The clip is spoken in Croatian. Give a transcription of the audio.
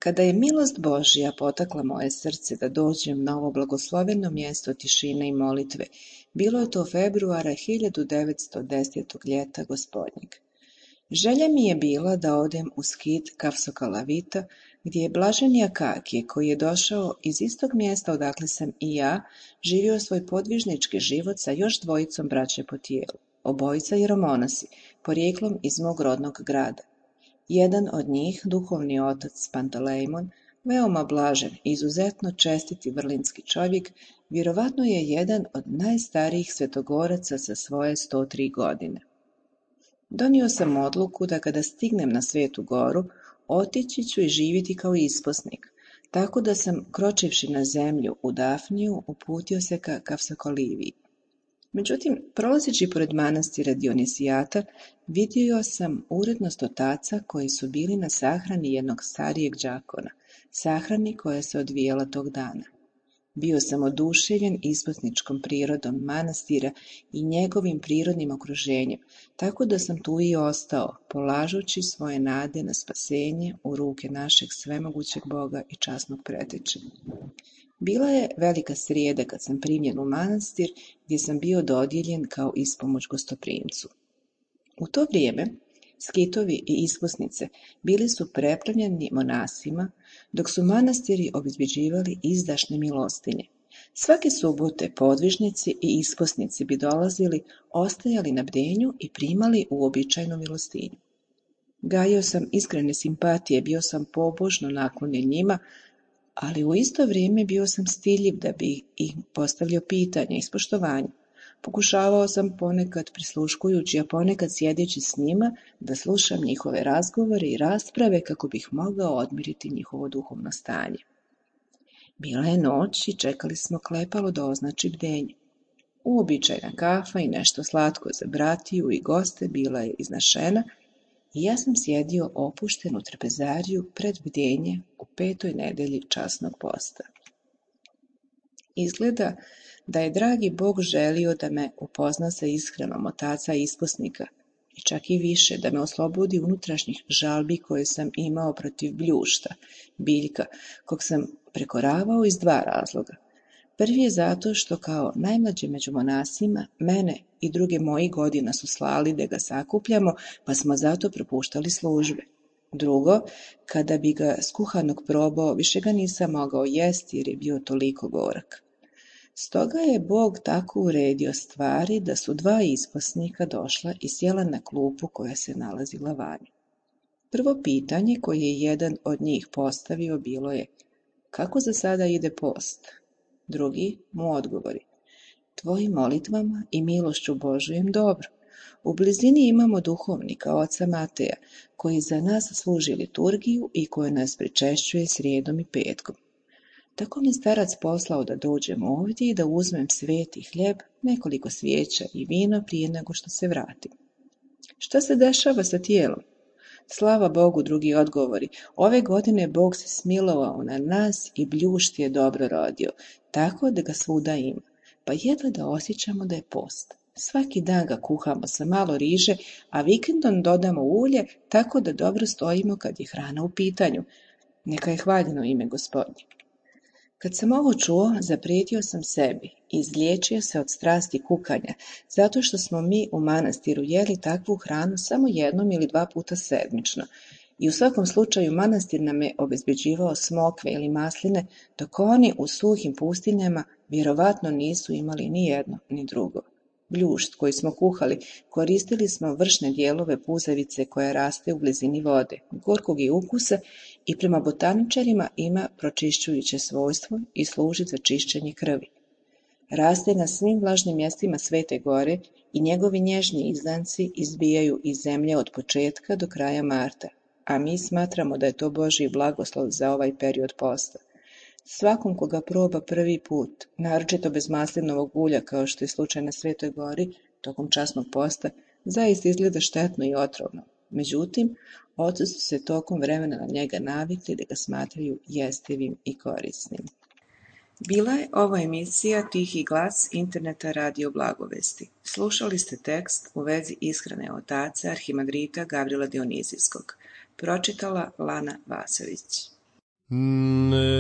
Kada je milost Božja potakla moje srce da dođem na ovo blagosloveno mjesto tišine i molitve, bilo je to februara 1910. ljeta gospodnjeg. Želja mi je bila da odem u skit Kafsokalavita, gdje je blaženi Akakije, koji je došao iz istog mjesta odakle sam i ja, živio svoj podvižnički život sa još dvojicom braće po tijelu, obojica jeromonasi, porijeklom iz mog rodnog grada. Jedan od njih, duhovni otac Pantalejmon, veoma blažen i izuzetno čestit i vrlinski čovjek, vjerovatno je jedan od najstarijih svetogoraca sa svoje 103 godine. Donio sam odluku da kada stignem na Svetu Goru, otići ću i živjeti kao isposnik, tako da sam, kročivši na zemlju u Dafniju, uputio se ka Kafsokaliviji. Međutim, prolazeći pored manastira Dionisijata, vidio sam urednost otaca koji su bili na sahrani jednog starijeg đakona, sahrani koja se odvijala tog dana. Bio sam oduševljen isposničkom prirodom manastira i njegovim prirodnim okruženjem, tako da sam tu i ostao, polažući svoje nade na spasenje u ruke našeg svemogućeg Boga i časnog preteče. Bila je velika srijeda kad sam primljen u manastir, gdje sam bio dodijeljen kao ispomoć gostoprimcu. U to vrijeme skitovi i isposnice bili su preplavljeni monasima, dok su manastiri obezbeđivali izdašne milostinje. Svake subote podvižnici i isposnici bi dolazili, ostajali na bdenju i primali uobičajenu milostinju. Gajio sam iskrene simpatije, bio sam pobožno naklonjen njima, ali u isto vrijeme bio sam stidljiv da bi im postavljao pitanja iz poštovanja. Pokušavao sam ponekad prisluškujući, a ponekad sjedeći s njima, da slušam njihove razgovore i rasprave kako bih mogao odmiriti njihovo duhovno stanje. Bila je noć i čekali smo klepalo da označi bdenje. Uobičajena kafa i nešto slatko za bratiju i goste bila je iznašena i ja sam sjedio opušten u trpezariju pred bdenje u 5. nedelji časnog posta. Izgleda da je dragi Bog želio da me upozna sa iskrenom otaca isposnika i čak i više, da me oslobodi unutrašnjih žalbi koje sam imao protiv Bljušta, biljka, kog sam prekoravao iz 2 razloga. Prvi je zato što kao najmlađe među monasima, mene i druge mojih godina su slali da ga sakupljamo, pa smo zato propuštali službe. Drugo, kada bi ga skuhanog probao, više ga nisam mogao jesti jer je bio toliko gorak. Stoga je Bog tako uredio stvari da su 2 isposnika došla i sjela na klupu koja se nalazila vani. Prvo pitanje koje je jedan od njih postavio bilo je: kako za sada ide post? Drugi mu odgovori: tvojim molitvama i milošću Božujem dobro. U blizini imamo duhovnika, oca Mateja, koji za nas služi liturgiju i koji nas pričešćuje srijedom i petkom. Tako mi starac poslao da dođem ovdje i da uzmem sveti hljeb, nekoliko svijeća i vino prije nego što se vratim. Šta se dešava sa tijelom? Slava Bogu, drugi odgovori, ove godine Bog se smilovao na nas i Bljušt je dobro rodio, tako da ga svuda ima, pa jedva da osjećamo da je post. Svaki dan ga kuhamo sa malo riže, a vikendom dodamo ulje, tako da dobro stojimo kad je hrana u pitanju. Neka je hvaljeno ime Gospodnje. Kad sam ovo čuo, zaprijetio sam sebi i izliječio se od strasti kukanja, zato što smo mi u manastiru jeli takvu hranu samo 1 ili 2 puta sedmično i u svakom slučaju manastir nam je obezbeđivao smokve ili masline, dok oni u suhim pustinjama vjerovatno nisu imali ni jedno ni drugo. Bljušt koji smo kuhali, koristili smo vršne dijelove puzavice koja raste u blizini vode, gorkog je ukusa i prema botaničarima ima pročišćujuće svojstvo i služi za čišćenje krvi. Raste na svim vlažnim mjestima Svete Gore i njegovi nježni izdanci izbijaju iz zemlje od početka do kraja marta, a mi smatramo da je to Božji blagoslov za ovaj period posta. Svakom koga proba prvi put, naročito bez maslinovog ulja kao što je slučaj na Svetoj Gori, tokom časnog posta, zaista izgleda štetno i otrovno. Međutim, oci su se tokom vremena na njega navikli da ga smatraju jestivim i korisnim. Bila je ovo emisija Tihi glas interneta Radio Blagovesti. Slušali ste tekst u vezi ishrane otaca arhimandrita Gavrila Dionizijskog. Pročitala Lana Vasović. Ne